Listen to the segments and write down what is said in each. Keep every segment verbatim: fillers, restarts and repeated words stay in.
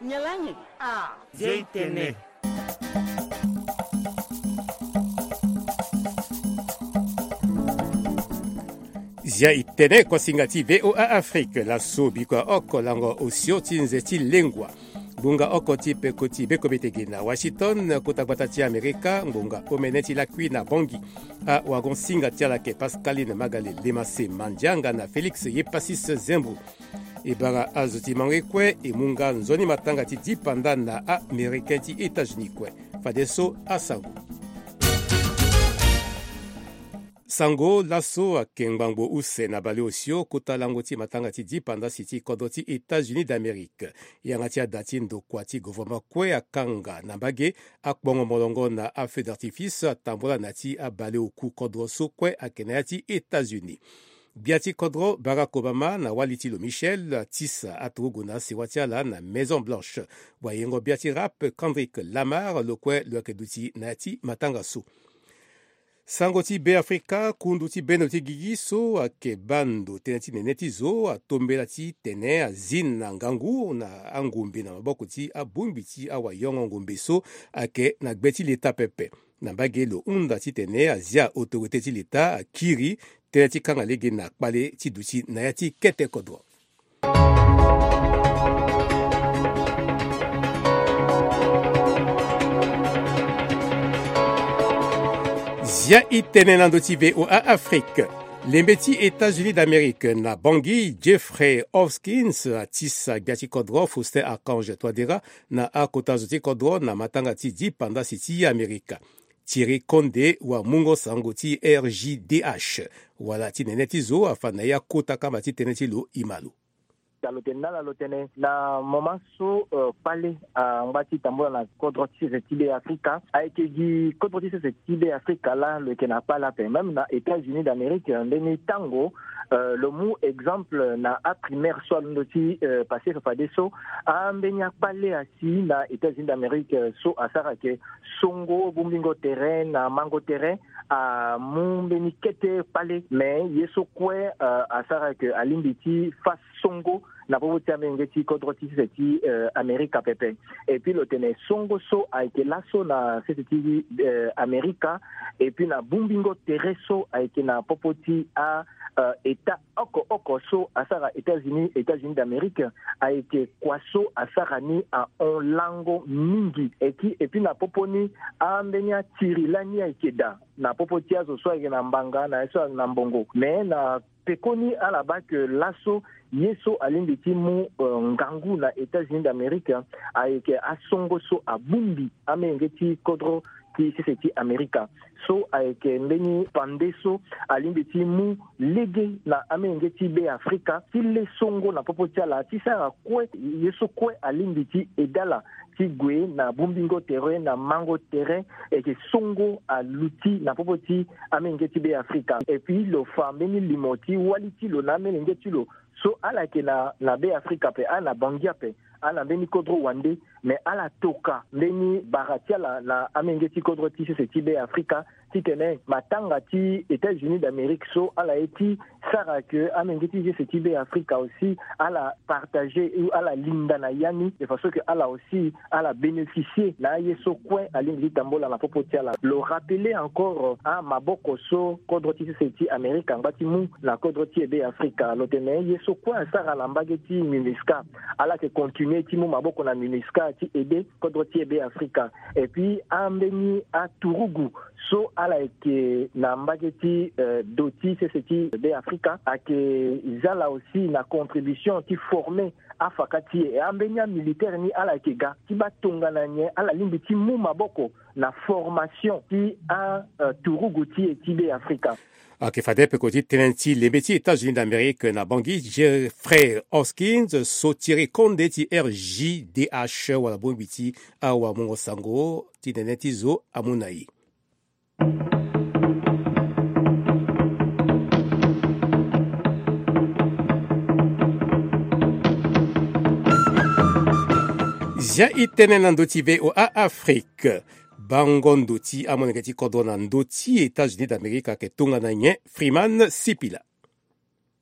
Nyalangi. Ah. Zia itene. Zia itene, kuasinga ti VOA Afrique. Laso bikua oko lango osio ti nze ti lengua. Ngbonga oko ti peko ti bekobe tege na Washington, kota gbata ti Amerika, ngbonga omene ti lakui na Bangui. Awagon-singa ti ala ayeke Pascaline Magalé Lemase Mandianga na Félix Yepasis Zembro. E bara azo ti mango kue e mu nga nzoni matanga ti dipanda na Américain ti États-Unis kue. Fadeso asango. Sango laso ayeke ngbangbo use na baleosio kota lango ti matanga ti dipanda si ti kodro ti États-Unis d'Amérique. Yanga ti ada ti ndokua ti gouvernement kue akanga na mbage akpongo molongo na afeu d'artifice atambula na ya ti abaleoku kodro so kue ayeke na ya ti États-Unis. Gbia ti kodro Barack Obama na wali ti lo Michelle atisa aturugu na asewa ti ala na Maison Blanche. Wayengo-gbia ti rap Kendrick Lamar lo kue lo yeke duti na ya ti matanga so. Sango ti Beafrika, kundu ti bendo ti gigi so ayeke baa ndo tënë ti nene ti zo atombela titene azi na ngangu na angombe na maboko ti abongbi ti awayongo ngombe so ayeke na gbe ti leta pepe. Na mbage lo hunda titene azia autorité ti leta akiri tënë ti kanga lege na kpale ti duti na ya ti kete kodro. Zia itene na ndo ti VOA Afrique. Lembe ti États-Unis d'Amérique na Bangui, Jeffrey Hoskins atisa gbia ti kodro Faustin Archange Touadéra na akota zo ti kodro na matanga ti dipanda si ti Amerika. Thierry Condé wa mungo sango ti R J D H wala ti nene ti zo afa na ya kota kamba ti tënë ti lo e ma lo. Alo tene na ala lo tene na moment so, euh, kpale, euh, angba ti tambula na kodro ti sese ti Beafrika. Ayeke gi kodro ti sese ti Beafrika laa lo yeke na kpale ape, même na États-Unis d'Amérique, euh, ndeni tango, euh, lo mu exemple na aprimaire so alondo ti, euh, passé fafadeso. Ambeni akpale asi na États-Unis d'Amérique, euh, so asara ke songo, bongbingo tere na mango tere, amu mbeni kete kpale, mais ye so kue, euh, asara ke alingbi ti fa songo na popo ti amenge ti kodro ti sese ti, euh, Amerika pepe. Et puis lo tene songo so ayeke laso na sese ti, euh, Amerika, et puis na bongbingo tere so ayeke na popo ti a, euh, état oko oko so asara États-Unis, États-Unis d'Amérique, ayeke kua so asara ni ahon lango mingi. Eki, et puis na popo ni, ambeni atiri lani ayeke daa na popo ti azo so ayeke na mbanga na ye so ayeke na mbongo. Mais na pekoni ala baa ke laso ye so alingbi ti mu, euh, ngangu na États-Unis d'Amérique, hein, ayeke asongo so abongbi amenge ti kodro ti sese ti Amerika. So ayeke mbeni pande so alingbi ti mu lege na amenge ti Beafrika ti le songo na popo ti ala ti sara kue ye so kue alingbi ti eda ala ti gue na bongbingo tere na mango tere, ayeke songo aluti na popo ti amenge ti Beafrika. Et puis lo fa mbeni limo ti wali ti lo na amolenge ti lo so ala yeke na, na Beafrika ape, ala na Bangui ape, ala na mbeni kodro wande, mais ala toka mbeni bara ti ala na amenge ti kodro ti sese ti Beafrika, titene matanga ti États-Unis d'Amérique so ala ye ti sara ke amenge ti sese ti Beafrika aussi ala partager ou ala linda na ya ni, de façon que ala aussi ala bénéficier na aye so kue alingbi ti tambula na popo ti ala. Lo rappeler encore, ah, maboko so kodro ti sese ti Amerika angba ti mu na kodro ti e Beafrika. Lo tene ye so kue asara na mbage ti MINUSCA, ala yeke continuer ti mu maboko na MINUSCA ti aider kodro ti e Beafrika. Et puis ambeni aturugu so ala yeke na mbage ti, euh, do ti sese ti Beafrika ayeke za ala aussi na contribution ti former afaka ti e. E ambeni amilitaire ni ala yeke ga ti baa tongana nyen ala lingbi ti mu maboko na formation ti a, euh, turugu ti e ti Beafrika. Ayeke fade peko ti tënë ti lembe ti États-Unis d'Amérique na Bangui, Jeffrey Hoskins so ti iri konde ti R J D H wala bongbi ti awamungo sango ti nene ti zo amu na e. Zia e tene na ndö ti V O A Afrique. Bango ndo ti amolenge ti kodro na ndö ti États-Unis d'Amérique ayeke tongana nyen? Freeman Sipila.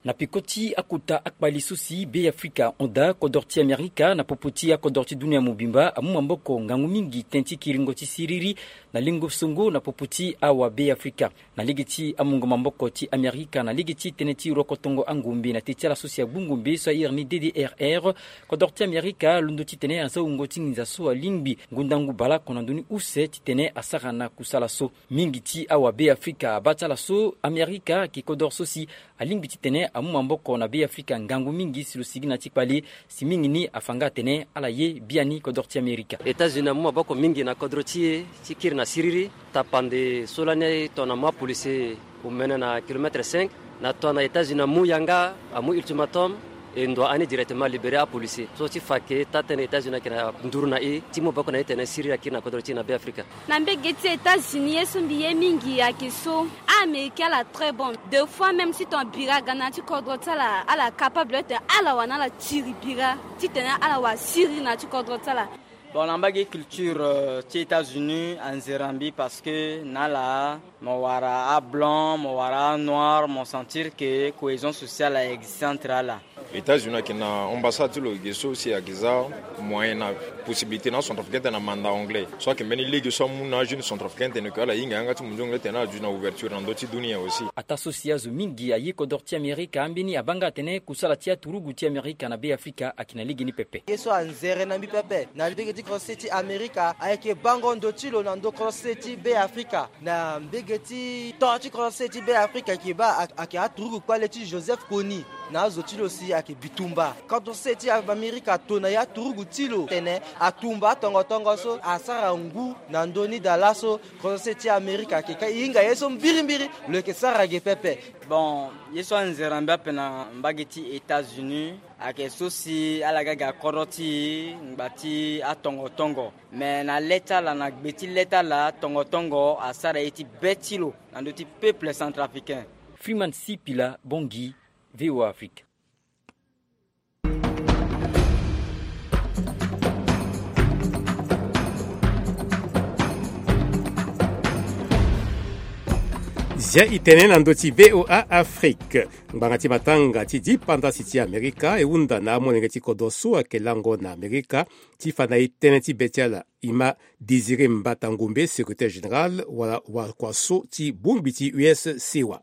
Na peko ti akota akpali so si Beafrika hon daa kodro ti Amerika na popo ti akodro ti dunia mobimba amu maboko ngangu mingi tënë ti kiringo ti siriri na lingo-songo na popo ti awa Beafrika. Na lege ti amungo maboko ti Amerika na lege ti tënë ti rokotongo angombe na te ti ala so si agbu ngombe so a iri ni D D R R, kodro ti Amerika alondo titene aza wungo ti nginza so alingbi ngu ndangu baleoko na ndö ni use titene asara na kusala so. Mingi ti awa Beafrika abaa ti ala so Amerika ayeke kodro so si alingbi titene amu maboko na Beafrika ngangu mingi si lo sigi na ya ti kpale, si mingi ni afa nga atene ala ye biani kodro ti Amerika. États-Unis amu maboko mingi na kodro ti e ti kiri na siriri, tapande so lani tongana amu apolisier omene na kilomètre cinq, na tongana États-Unis amu yanga, amu ultimatum, e ndo ani directement libérer apolisier so ti fa ke taa tënë États-Unis ayeke na nduru na e ti mu maboko na e tene siriri akiri na kodro ti e na Beafrika. Na mbege ti États-Unis ye so mbi ye mingi ayeke so, américain ala très bon. Deux fois même si ton bira ga na ya ti kodro ti ala, ala capable titene ala wara na ala tiri bira titene ala wara siriri na ya ti kodro ti ala. Bon, na mbage culture, euh, ti États-Unis anzere na mbi parce que na ala mo wara ablanc, mo wara anoir, mo sentir que cohésion sociale a existe entre ala. États-Unis ayeke na ambassade ti lo ge so si ayeke za moyen na possibilité na acentrafricain tene amanda anglais so ayeke mbeni lege so amu na ajeune centrafricain tene ke ala hinga yanga ti mondio anglais tene ala duti na ouverture na ndö ti dunia aussi. Ataa so si azo mingi aye kodro ti Amerika ambeni abaa nga atene kusala ti aturugu ti Amerika na Beafrika ayeke na lege ni pepe. Ye so anzere na mbi pepe na mbege ti korose ti Amerika ayeke bango ndo ti lo na ndö korose ti Beafrika. Na mbege ti to ti kodro se ti Beafrika ayeke baa ayeke aturugu kpale ti Joseph Kony na azo ti lo si ayeke bitumba. Kodro se ti Amerika ato na ya aturugu ti lo tene atumba atongo tongo so asara ngu na ndö ni daa laso. Kodro se ti Amerika ayeke ka e hinga ye so mbirimbiri lo yeke sara ge pepe. Bon, ye so anzere na mbi ape na mbage ti États-Unis ayeke so si ala ga ge akodro ti e ngba ti atongo tongo. Me na le ti ala na gbe ti le ti ala tongo tongo asara ye ti be ti lo na ndö ti peuple centrafricain. Freeman Sipila Bongi, V O A Afrique. Zia i tene na ndö ti V O A Afrique. Ngbanga ti matanga ti dipanda si ti Amerika e hunda na amolenge ti kodro so ayeke lango na Amerika ti fa na e tënë ti be ti ala. Ima Désiré Mbata Ngombe, secrétaire général wala wakua so ti bongbi ti U S C wa.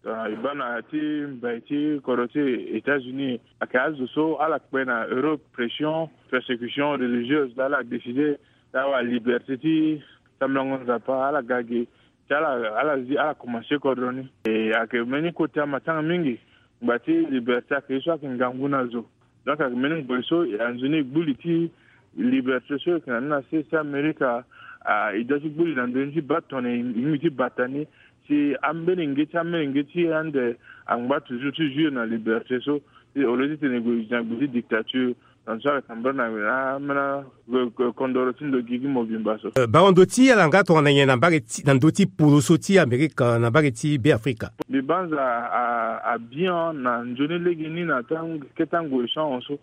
Ah, e baa na ya ti mbai ti kodro ti États-Unis ayeke azo so ala kpe na Europe pression, persécution religieuse, ala décidé ti awara liberté ti sambelango Nzapa, ala ga ge ti ala, ala zi, ala komanse kodro ni. E ayeke mbeni kota matanga mingi. Ngba ti liberté ayeke ye so ayeke ngangu na zo. Donc ayeke mbeni ngoi so anzoni e gbu li ti liberté so e yeke na ni na se ti Amerika. Ah, e doit ti gbu li na ndö ni ti baa tongana e lingbi ti bata ni si ambeni nge ti, ambeni nge ti ande angba toujours ti jouir na liberté so. Au lieu ti tene e gue e zi na gbe ti dictature. Donc so ayeke tambula na ambeni kondoro ti ndo gigi mobimba so. Eh, bango ndo ti ala nga tongana nyen na mbage ti, na ndö ti poro so ti Amerika na mbage ti Beafrika? Mbi banza a, a, abian na nzoni lege ni na tan, keta ngoi so ahon so.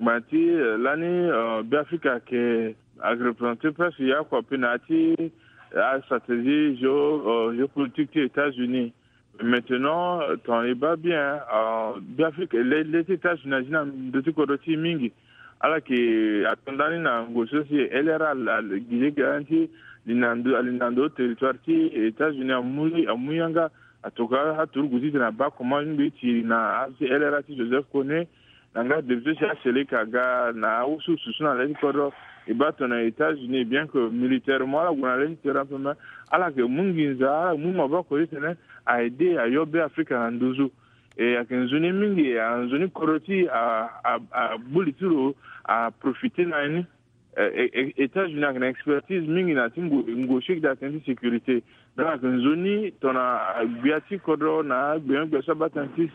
Ngba ti, eh, lani, eh, Beafrika ayeke, ayeke représenter presque ya kua pe na ya ti, eh, astratégie géo, eh, géopolitique ti États-Unis. Maintenant, eh, tongana e baa bien, eh, Beafrika, le, le ti États-Unis azi na ndö ti kodro ti e mingi. Ala yeke ato ndani na ngoi so si L R A, ala, ala gi lege ti li na ndö, ali na ndö territoire ti États-Unis amu, amu yanga. Atoka aturugu titene abaa comment lingbi ti tiri na asi L R A ti Joseph Kony. Na nga député si aseleka aga na awusuwusu so na le ti kodro. E baa tongana États-Unis, bien que militairement ala gue na le ti terrain ape, mais ala yeke mu nginza, ala yeke mu maboko titene a aider ayo Beafrika na nduzu. E ayeke nzoni mingi, a nzoni kodro ti a, a, a gbu li ti lo, a profiter na ni. Eh, eh, eh, États-Unis ayeke na expertise mingi na ya ti ngu, ngu siki daa tënë ti sécurité. Donc ayeke nzoni tongana, ah, gbia ti kodro na agbenyo-gbia so abaa tënë ti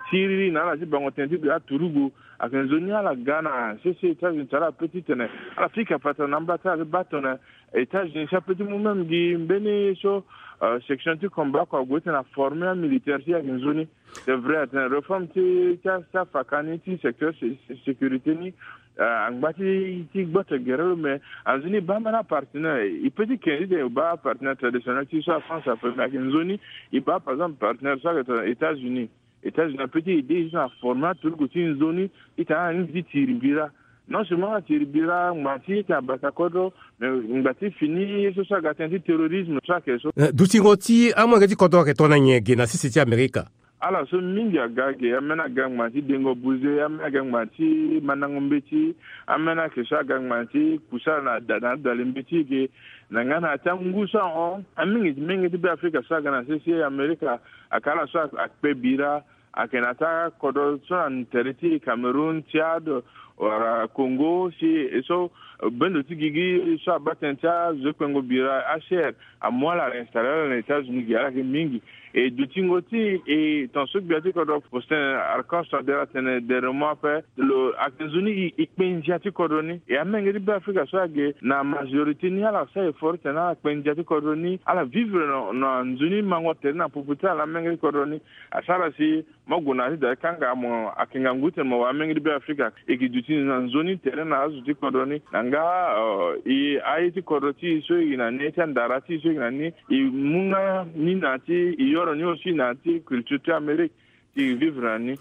siriri na ala ti bango tënë ti gbia aturugu. Ayeke nzoni ala ga na sese États-Unis ti ala pe titene ala fika patara na amba ti ala ti baa tongana États-Unis si ape ti mu même gi mbeni so, euh, section ti combat kua ague titene aformer amilitaire ti e ayeke nzoni. C'est vrai atene réforme ti, ti, ti afaka ni ti secteur sé-, sé-, sécurité ni, euh, angba ti, ti gboto gere lo, mais anzoni e baa mbeni apartenaire, e peut ti ke ni titene e baa apartenaire traditionnel ti e so la France ape, mais ayeke nzoni e baa par exemple partenaire so ayeke tongana États-Unis. États-Unis ape ti ede so na forme aturugu ti nzoni ti tene ala lingbi ti tiri bira. Non seulement ala tiri bira ngba ti ita bata kodro, mais ngba ti fini ye so so aga tënë ti terrorisme so ayeke so. Dutingo ti amolenge ti kodro ayeke tongana nyen ge na sese ti Amerika? Ala so mingi aga ge, ambeni aga ngba ti dengo buze, ambeni aga ngba ti mandango mbeti, ambeni ayeke so aga ngba ti kusa na da na adale mbeti ge. Na nga na ya ti angu so ahon, amenge ti menge ti Beafrika so aga na sese Amerika, ayeke ala so akpe bira, ayeke na ya ti akodro so na tere ti Cameroun, Tchad, wala Congo, si e so bendo ti gigi so abaa tënë ti azo ti kpengo bira, H C R, amu ala, ala installe ala na États-Unis ge, ala yeke mingi. E dutingo ti e, tongaso gbia ti kodro Faustin Archange Touadéra atene dernièrement ape, lo ayeke nzoni e, e kpe ndia ti kodro ni. E amenge ti Beafrika so age na majorité ni ala sara effort ti tene ala kpe ndia ti kodro ni, ala vivre na, na nzoni mango tere na popo ti ala amenge ti kodro ni. Asara si mo gue na ya ti da ti kanga mo ayeke ngangu ti tene mo wara amenge ti Beafrika. E yeke duti na nzoni tere na azo ti kodro ni. Na nga, euh, e aye ti kodro ti e so e yeke na ni, ti andara ti e so e yeke na ni, e mu nga ni na ya ti, e yoro ni aussi na ya ti culture ti Amérique, ti vivre na ni.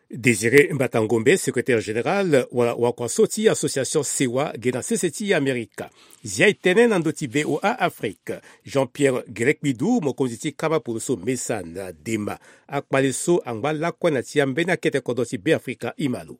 Désiré Mbata Ngombe, secrétaire général wala wakua so ti association Sewa ge na sese ti Amerika. Zia e tene na ndö ti V O A Afrique. Jean-Pierre Gerekpidou, mokonzi ti kama poroso Mesa na Dema. Akpale so angba lakue na ti ambeni akete kodro ti Beafrika, e ma lo.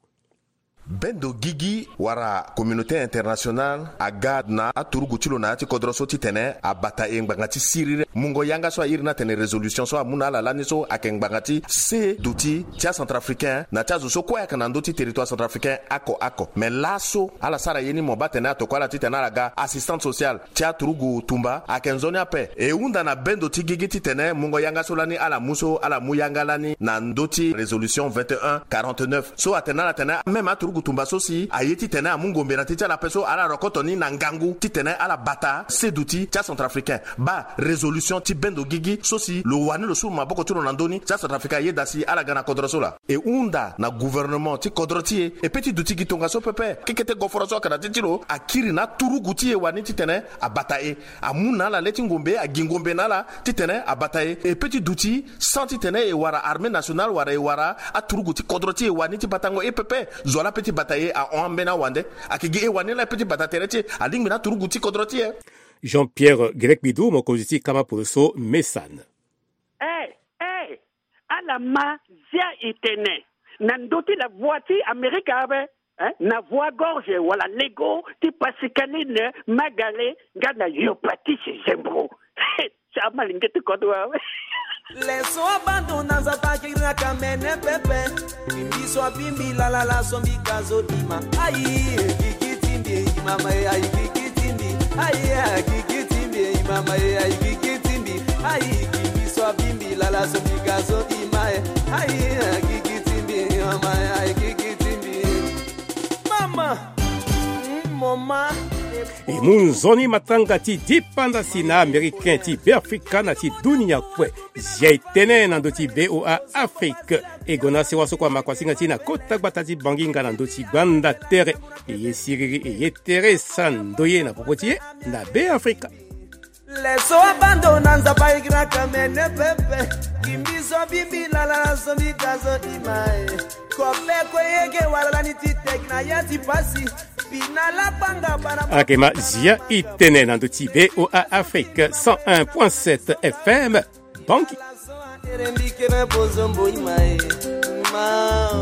Bendo gigi wala communauté internationale aga na aturugu ti lo na ya ti kodro so titene abata e ngbanga ti siriri. Mungo yanga so a iri ni atene résolution so amu na ala lani so ayeke ngbanga ti se duti ti acentrafricain na ti azo so kue ayeke na ndö ti territoire centrafricain oko oko. Mais laso ala sara ye ni mo baa tene atokua ala titene ala ga assistante sociale ti aturugu tumba ayeke nzoni ape. E hunda na bendo ti gigi titene mungo yanga so lani ala mu so ala mu yanga lani na ndö ti résolution vingt et un quarante-neuf so atene ala tene même aturugu tumba so si aye titene amu ngombe na ti ti ala ape so ala rokoto ni na ngangu titene ala bata se duti ti acentrafricain. Baa résolution ti bendo gigi so si lo wani lo su maboko ti lo na ndö ni ti acentrafricain ayeda si ala ga na kodro so laa. E hunda na gouvernement ti kodro ti e, e pe ti duti gi tongaso pepe. Kekete goforo so ayeke na ti ti lo akiri na aturugu ti e wani titene abata e, amu na ala le ti ngombe, agi ngombe na ala titene abata e. E pe ti duti sans titene e wara armée nationale wala e wara aturugu ti kodro ti e wani ti batango e pepe. Zo laa pe ti bata e ahon ambeni awande. Ayeke gi e wani laa e pe ti bata tere ti e, alingbi na aturugu ti kodro ti e. Jean-Pierre Gerekpidou, mokonzi ti kama poroso Mesa na. Eh, eh, ala ma zia e tene na ndö ti la voix ti Amerika ape, eh, na voix gorge wala lego ti Pascaline Magale nga na Yopatis Zembro. Ti amalenge ti kodro awe. Leso abando na Nzapa kiri na kamene pepe. Kimbi so abimbi lalala so mbi ka zo dima. Ayi, kiki timbi, mama, ayi, kiki timbi. Ayi, kiki timbi, mama, ayi, kiki timbi. Ayi, kimbi so abimbi lala so mbi ka zo dima. Ayi, kiki timbi, mama, ayi, kiki timbi. Mama, mm, mama. E mu nzoni matanga ti dipanda si na Américain ti Beafrika na ti dunia kue. Zia e tene na ndö ti V O A Afrique. E gue na sewa so kue amakuasinga ti e na kota gbata ti Bangi nga na ndö ti gbanda tere. E ye siriri, e ye tere, sa ndoye na popo ti e na Beafrika. Leso abando na Nzapa igraka mene pepe. Kimbi so bimbi lala so mbi ka zo dima e. Kope kue yeke wala lani ti teki na ya ti pasi. Bina la panga bana. Ayeke ma zia e tene na ndö ti V O A Afrique cent un point sept F M. Bangi.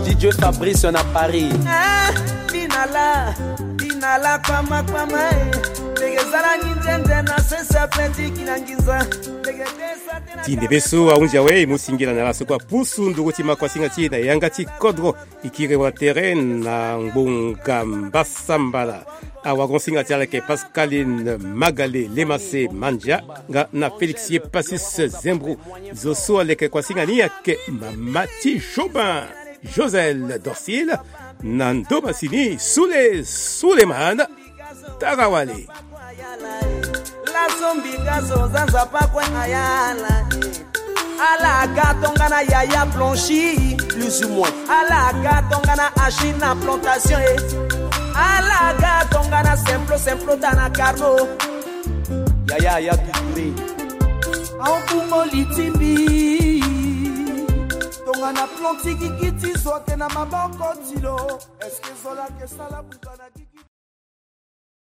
D J Fabrice na Paris. Eh, bina la, bina la kpama kpama e. Ndege zala nginzende na sese ape ti kina nginza. Ndege desa tena. Ti ndembe so ahunzi awe e mu singila na ala so kue apusu nduru ti makuasinga ti e na yanga ti kodro. E kiri wa tere na ngbonga mbasambala. Awagonsinga ti ala ayeke Pascaline Magale Lemase Mandia nga na Félix Yopatis Zembro. Zo so aleke kuasinga ni ayeke mama ti Jobin, Josel Dorcil, na ndo masini Soule Souleymane. Tara wale. Laso mbi ga zo za Nzapa kue ayala. Ala ga tongana Yaya Blanchi, plus ou moins. Ala ga tongana Achille na plantation e. Ala ga tongana Simplo, Simplo ta na Carlo. Yaya ya tuturi. Aokumo litimbi. Nga na plan ti gigi ti zo ake na maboko ti lo. Est-ce que zo lake sala buka na gigi?